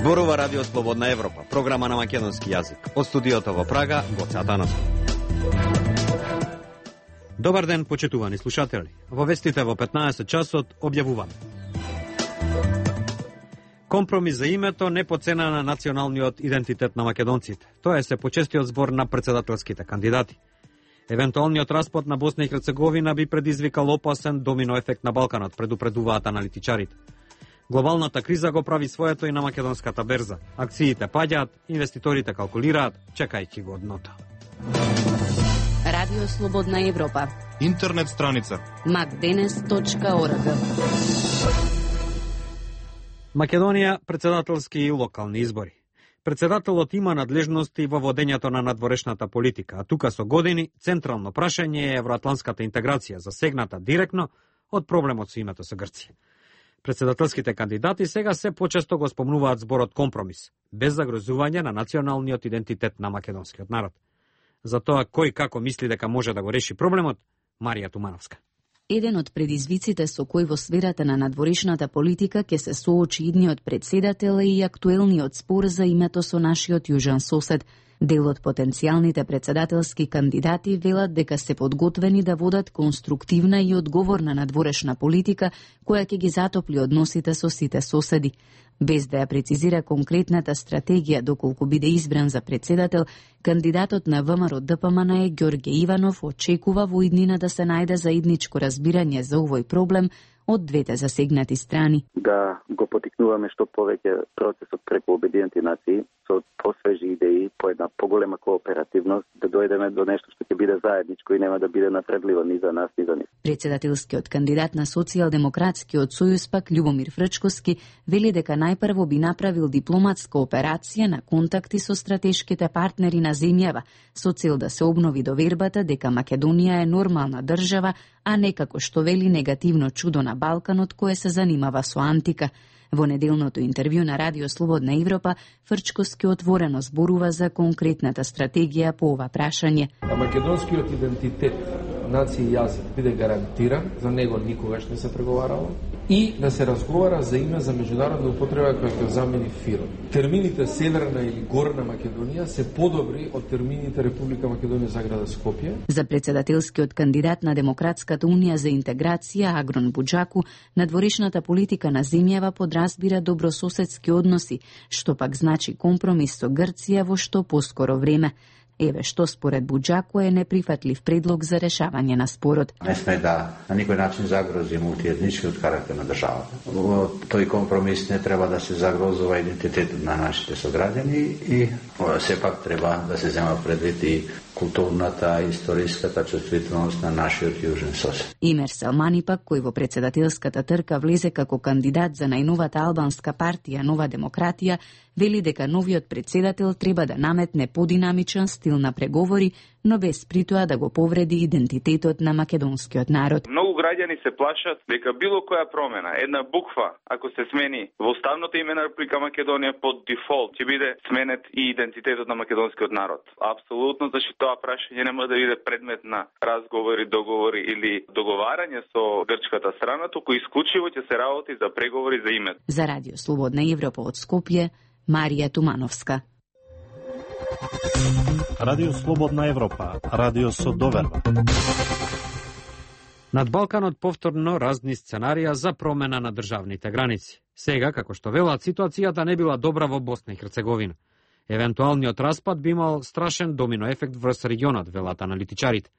Зборува Радио Слободна Европа, програма на македонски јазик. Од студиото во Прага, Гоце Атанасов. Добар ден, почитувани слушатели. Во вестите во 15 часот објавуваме. Компромис за името не по цена на националниот идентитет на македонците. Тоа е се почестиот збор на председателските кандидати. Евентуалниот распад на Босна и Херцеговина би предизвикал опасен домино ефект на Балканот, предупредуваат аналитичарите. Глобалната криза го прави своето и на македонската берза. Акциите паѓаат, инвеститорите калкулираат, чекајќи го дното. Радио Слободна Европа. Интернет страница macdenes.org. Македонија, председателски и локални избори. Председателот има надлежности во водењето на надворешната политика, а тука со години централно прашање е евроатлантската интеграција, засегната директно од проблемот со името со Грција. Председателските кандидати сега се почесто го спомнуваат зборот компромис, без загрозување на националниот идентитет на македонскиот народ. За тоа кој како мисли дека може да го реши проблемот, Марија Тумановска. Еден од предизвиците со кој во сферата на надворешната политика ќе се соочи идниот председател е и актуелниот спор за името со нашиот јужен сосед. Дел од потенцијалните председателски кандидати велат дека се подготвени да водат конструктивна и одговорна надворешна политика која ќе ги затопли односите со сите соседи. Без да ја прецизира конкретната стратегија доколку биде избран за председател, кандидатот на ВМРО-ДПМН е Ѓорѓе Иванов очекува во иднина да се најде заедничко разбирање за овој проблем од двете засегнати страни. Да го потикнуваме што повеќе процесот преку Обединети нации со посвежи идеи, по една поголема кооперативност, да дојдеме до нешто што ќе биде заедничко и нема да биде напредливо ни за нас, ни за нив. Председателскиот кандидат на Социјалдемократскиот сојуз пак Љубомир Фрчковски вели дека најпрво би направил дипломатска операција на контакти со стратешките партнери на земјава, со цел да се обнови довербата дека Македонија е нормална држава, а не како што вели негативно чудо на Балканот кое се занимава со антика. Во неделното интервју на Радио Слободна Европа, Фрчковски отворено зборува за конкретната стратегија по ова прашање. Македонскиот идентитет, нација и јазик биде гарантиран, за него никогаш не се преговарало, и да се разговара за име за меѓународна употреба која ќе замени ФИРО. Термините Северна или Горна Македонија се подобри од термините Република Македонија Заграда Скопје. За председателскиот кандидат на Демократската унија за интеграција Агрон Буџаку, надворешната политика на земјава подразбира добрососедски односи, што пак значи компромис со Грција во што поскоро време. Еве што според Буџаку е неприфатлив предлог за решавање на спорот. Не сме да на никој начин загрози мултиетничкиот карактер на државата. Во тој компромис не треба да се загрозува идентитетот на нашите сограѓани и сепак треба да се зема предвид и културната и историската чувствителност на нашиот јужен сосед. Имер Салмани пак, кој во председателската трка влезе како кандидат за најновата албанска партија Нова демократија, вели дека новиот председател треба да наметне подинамичен стил на преговори, но без притоа да го повреди идентитетот на македонскиот народ. Многу граѓани се плашат дека било која промена, една буква, ако се смени во уставното име на Република Македонија под дефолт, ќе биде сменет и идентитетот на македонскиот народ. Апсолутно, зашто тоа прашање нема да биде предмет на разговори, договори или договарање со грчката страна, туку исклучиво ќе се работи за преговори за името. За Радио Слободна Европа од Скопје, Марија Тумановска. Радио Слободна Европа, радио со доверба. Над Балканот повторно разни сценарија за промена на државните граници. Сега, како што велат, ситуацијата не била добра во Босна и Херцеговина. Евентуалниот распад би имал страшен домино ефект врз регионот, велат аналитичарите.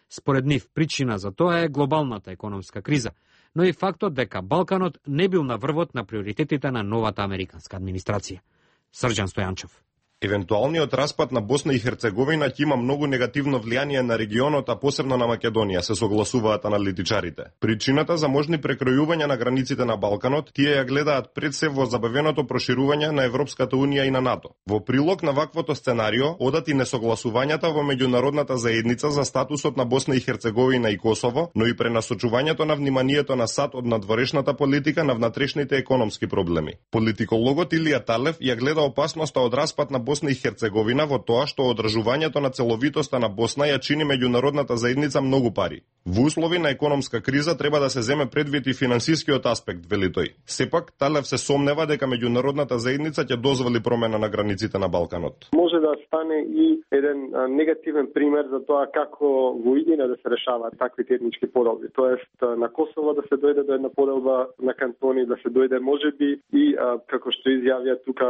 Според нив, причина за тоа е глобалната економска криза, но и фактот дека Балканот не бил на врвот на приоритетите на новата американска администрација. Срđan Стојанчов. Евентуалниот распад на Босна и Херцеговина ќе има многу негативно влијание на регионот, а посебно на Македонија, се согласуваат аналитичарите. Причината за можни прекројувања на границите на Балканот, тие ја гледаат пред се во забавеното проширување на Европската унија и на НАТО. Во прилог на ваквото сценарио одат и несогласувањата во меѓународната заедница за статусот на Босна и Херцеговина и Косово, но и пренасочувањето на вниманието на САД од надворешната политика на внатрешните економски проблеми. Политикологот Илија Талев ја гледа опасноста од распад на Босна и Херцеговина во тоа што одржувањето на целовитоста на Босна ја чини меѓународната заедница многу пари. Во услови на економска криза треба да се земе предвид и финансискиот аспект, вели тој. Сепак, Талев се сомнева дека меѓународната заедница ќе дозволи промена на границите на Балканот. Може да стане и еден негативен пример за тоа како во иднина да се решаваат таквите етнички поделби. Тоест на Косово да се дојде до една поделба на кантони, да се дојде можеби и како што изјавија тука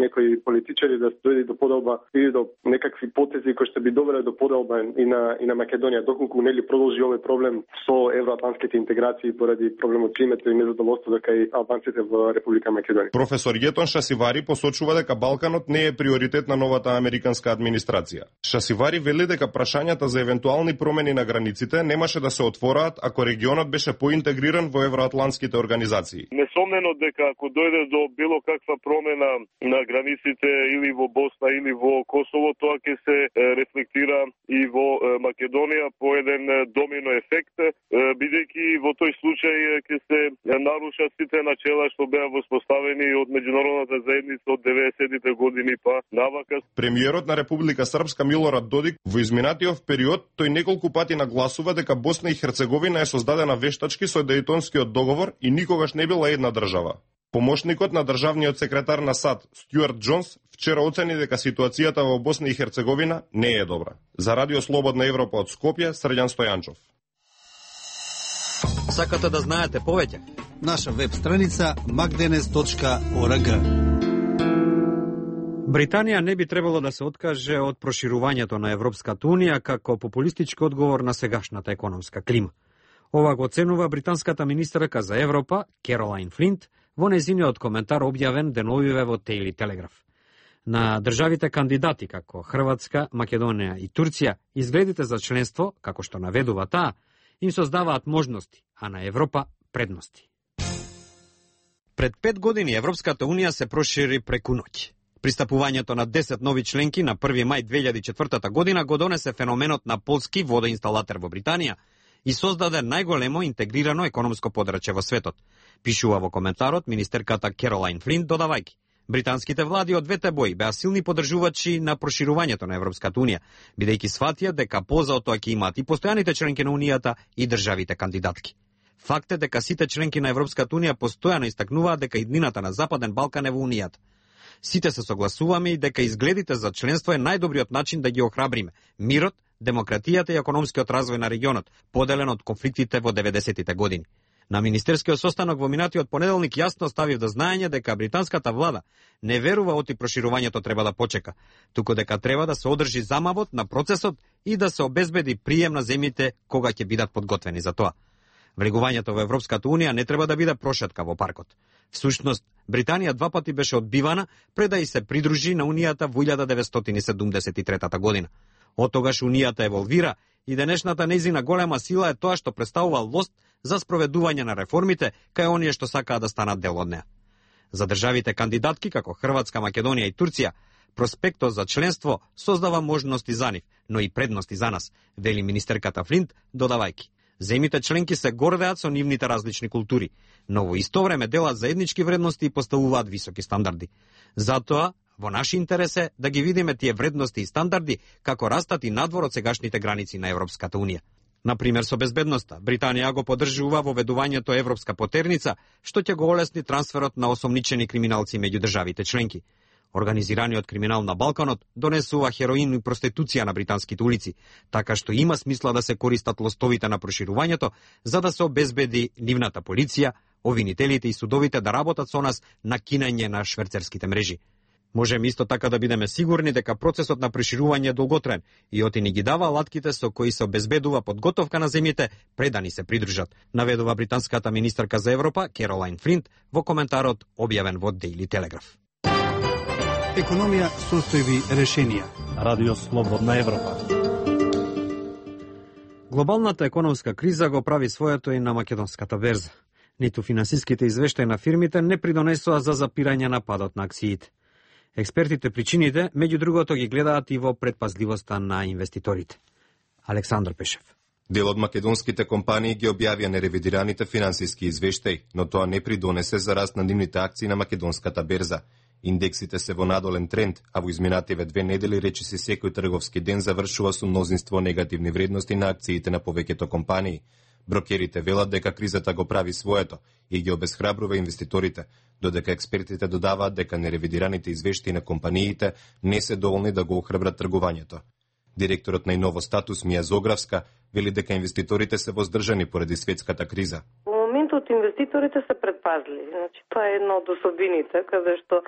некои политичари да се дојде до поделба или до некакви потези кои што би довеле до поделба и на Македонија, доколку нели продолжи овој проблем со евроатлантските интеграции поради проблемот климата и незадоволство дека и албанците во Република Македонија. Професор Јетон Шасивари посочува дека Балканот не е приоритет на новата американска администрација. Шасивари вели дека прашањата за евентуални промени на границите немаше да се отвораат ако регионот беше поинтегриран во евроатлантските организации. Несомнено дека ако дојде до било каква промена на границите или во Босна или во Косово, тоа ќе се рефлектира и во Македонија по еден домино ефект, бидејќи во тој случај ќе се нарушат сите начела што беа воспоставени од меѓународната заедница од 90-тите години па навака. Премиерот на Република Српска Милорад Додик во изминатиот период тој неколку пати нагласува дека Босна и Херцеговина е создадена вештачки со Дејтонскиот договор и никогаш не била една држава. Помошникот на државниот секретар на САД Стюарт Джонс вчера оцени дека ситуацијата во Босна и Херцеговина не е добра. За Радио Слободна Европа од Скопје, Срđan Стојанчов. Сакате да знаете повеќе? Наша веб страница magdenes.org. Британија не би требало да се откаже од проширувањето на Европската Унија како популистички одговор на сегашната економска клима. Ова го оценува британската министерка за Европа, Керолайн Флинт, во нејзиниот коментар објавен деновиве во Daily Telegraph. На државите кандидати како Хрватска, Македонија и Турција, изгледите за членство, како што наведува таа, им создаваат можности, а на Европа предности. Пред 5 години Европската Унија се прошири преку ноќ. Пристапувањето на 10 нови членки на 1 мај 2004 година го донесе феноменот на полски водоинсталатер во Британија и создаде најголемо интегрирано економско подрачје во светот, пишува во коментарот министерката Керолайн Флинт, додавајќи: британските влади од двете бои беа силни поддржувачи на проширувањето на Европската Унија, бидејќи сватија дека полза од тоа ќе имаат и постојаните членки на Унијата и државите кандидатки. Факт е дека сите членки на Европската Унија постојано истакнуваат дека иднината на Западен Балкан е во Унијата. Сите се согласуваме и дека изгледите за членство е најдобриот начин да ги охрабриме мирот, демократијата и економскиот развој на регионот, поделен од конфликтите во 90-тите години. На министерскиот состанок во минатиот понеделник јасно ставив до знаење дека британската влада не верува оти проширувањето треба да почека, туку дека треба да се одржи замавот на процесот и да се обезбеди прием на земјите кога ќе бидат подготвени за тоа. Влегувањето во Европската Унија не треба да биде прошетка во паркот. Всушност, Британија 2 пати беше одбивана пред да и се придружи на Унијата во 1973 година. Од тогаш Унијата еволвира и денешната нејзина голема сила е тоа што представува лост за спроведување на реформите кај оние што сакаат да станат дел од неа. За државите кандидатки како Хрватска, Македонија и Турција, проспектот за членство создава можности за нив, но и предности за нас, вели министерката Флинт, додавајќи: земите членки се гордеат со нивните различни култури, но во исто време делат заеднички вредности и поставуваат високи стандарди. Затоа, во наш интерес е да ги видиме тие вредности и стандарди како растат и надвор од сегашните граници на Европската Унија. Например, со безбедноста, Британија го поддржува воведувањето европска потерница, што ќе го олесни трансферот на осомничени криминалци меѓу државите членки. Организираниот криминал на Балканот донесува хероин и проституција на британските улици, така што има смисла да се користат лостовите на проширувањето за да се обезбеди нивната полиција, обвинителите и судовите да работат со нас на кинење на шверцерските мрежи. Можеме исто така да бидеме сигурни дека процесот на проширување е долготраен и оти ни ги дава алатките со кои се обезбедува подготовка на земјите пред да ни се придружат, наведува британската министерка за Европа Керолайн Флинт во коментарот објавен во Daily Telegraph. Економија, состојби, решенија. Радио Слободна Европа. Глобалната економска криза го прави своето и на македонската берза. Ниту финансиските извештаи на фирмите не придонесоа за запирање на падот на акциите. Експертите причините, меѓу другото, ги гледаат и во предпазливоста на инвеститорите. Александр Пешев. Дел од македонските компании ги објавија неревидираните финансиски извештаи, но тоа не придонесе за раст на нивните акции на македонската берза. Индексите се во надолен тренд, а во изминативе 2 недели речиси секој трговски ден завршува со мнозинство негативни вредности на акциите на повеќето компании. Брокерите велат дека кризата го прави своето и ги обесхрабрува инвеститорите, додека експертите додаваат дека неревидираните извештаи на компаниите не се доволни да го охрабрат тргувањето. Директорот на Иново Статус Мија Зогравска вели дека инвеститорите се воздржани поради светската криза. Во моментот инвеститорите се предпазливи. Значи, тоа е една од особините, каде што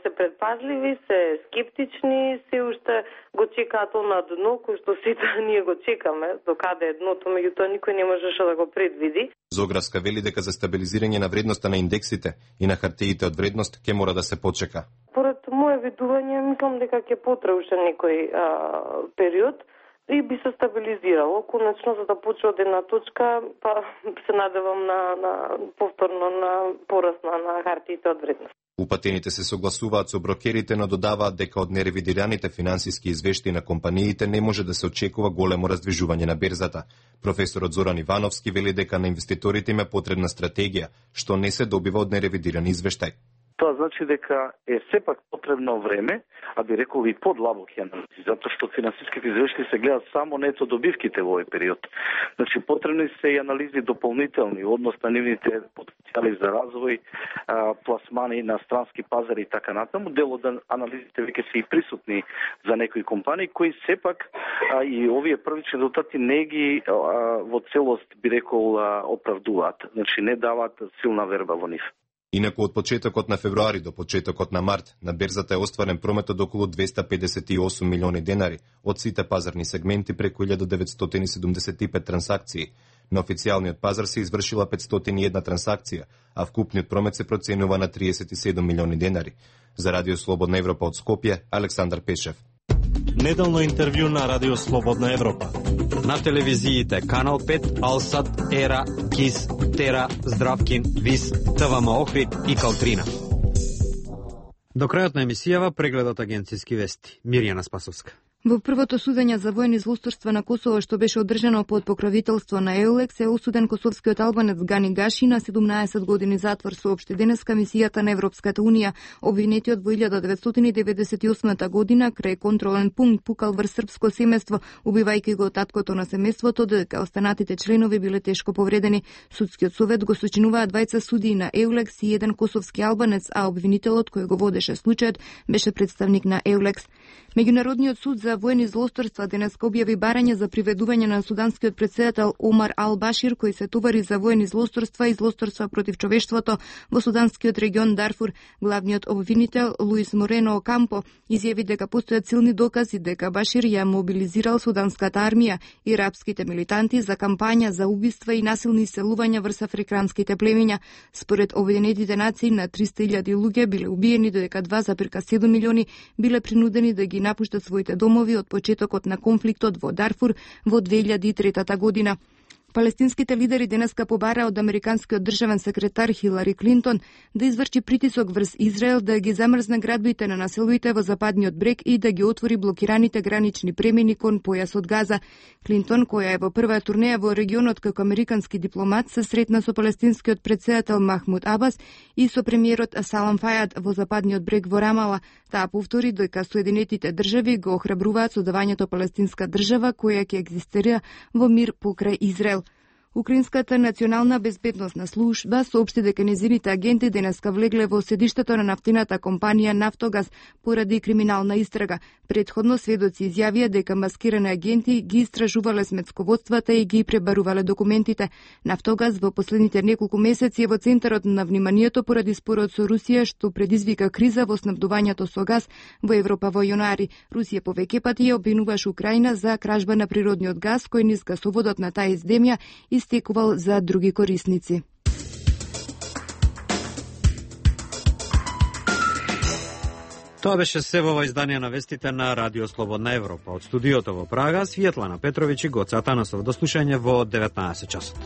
се предпазливи, се скептични, се уште го чекаат на дно, кој што сите ние го чекаме, до каде е дното, меѓутоа никој не можеше да го предвиди. Зогравска вели дека за стабилизирање на вредноста на индексите и на хартиите од вредност ќе мора да се почека. Поред моје видување, мислам дека ќе потрае уште некој период и би се стабилизирало. Конечно, за да почне од една точка, па се надевам на повторно на пораст на хартиите од вредност. Упатените се согласуваат со брокерите, но додаваат дека од неревидираните финансиски извештаи на компаниите не може да се очекува големо раздвижување на берзата. Професорот Зоран Ивановски вели дека на инвеститорите им е потребна стратегија, што не се добива од неревидирани извештаи. Тоа значи дека е сепак потребно време, а би рекол и подлабоки анализи, затоа што финансиските извештаи се гледаат само нето добивките во овој период. Значи потребни се и анализи дополнителни, однос на нивните потенцијали за развој, пласмани на странски пазари и така натаму. Дел од анализите веќе се и присутни за некои компании кои сепак и овие првични резултати не ги во целост би рекол оправдуваат. Значи не даваат силна верба во нив. Инаку од почетокот на февруари до почетокот на март на берзата е остварен промет од околу 258 милиони денари од сите пазарни сегменти преку 1975 трансакции. На официјалниот пазар се извршила 501 трансакција, а вкупниот промет се проценува на 37 милиони денари. За Радио Слободна Европа од Скопје, Александар Пешев. Неделно интервју на Радио Слободна Европа. На телевизиите Канал 5, Алсат, Ера, КИС, Тера, Здравкин, ВИС, ТВМ Охрид и Калтрина. До крајот на емисијава прегледот агенцијски вести. Мирјана Спасовска. Во првото судење за воени злосторства на Косово, што беше одржано под покровителство на EULEX, е осуден косовскиот албанец Гани Гаши на 17 години затвор, соопшти денеска мисијата на Европската Унија. Обвинетиот во 1998 година крај контролен пункт пукал врз српско семејство, убивајќи го таткото на семејството, додека останатите членови биле тешко повредени. Судскиот совет го сочинуваа двајца судии на EULEX и еден косовски албанец, а обвинителот кој го водеше случајот беше представник на EULEX. Меѓународниот суд за воени злосторства денеска објави барање за приведување на суданскиот претседател Омар Ал-Башир, кој се товари за воени злосторства и злосторства против човештвото во суданскиот регион Дарфур. Главниот обвинител Луис Морено Окампо изјави дека постојат силни докази дека Башир ја мобилизирал суданската армија и арапските милитанти за кампања за убиства и насилни иселувања врз африканските племиња. Според Обединетите нации, на 300.000 луѓе биле убиени, додека 2,7 милиони биле принудени да ги напуштат своите домови од почетокот на конфликтот во Дарфур во 2003 година. Палестинските лидери денеска побара од американскиот државен секретар Хилари Клинтон да изврши притисок врз Израел да ги замрзне градбите на населбите во западниот брег и да ги отвори блокираните гранични премини кон појасот Газа. Клинтон, која е во прва турнеја во регионот како американски дипломат, се сретна со палестинскиот претседател Махмуд Абас и со премиерот Салам Фајад во западниот брег во Рамала. Таа повтори дека Соединетите држави го охрабруваат создавањето палестинска држава која ќе екзистира во мир покрај Израел. Украинската национална безбедносна служба соопшти дека нејзините агенти денеска влегле во седиштето на нафтената компанија Нафтогаз поради криминална истрага. Претходно сведоци изјавија дека маскирани агенти ги истражувале сметсководствата и ги пребарувале документите. Нафтогаз во последните неколку месеци е во центарот на вниманието поради спорот со Русија, што предизвика криза во снабдувањето со газ во Европа во јануари. Русија повеќе пати ја обвинуваше Украина за кражба на природниот газ, кој низ гасоводот на таа земја истекувал за други корисници. Тоа беше се во издание на вестите на Радио Слободна Европа. Од студиото во Прага, Светлана Петровиќ и Гоце Атанасов. До слушање во 19 часот.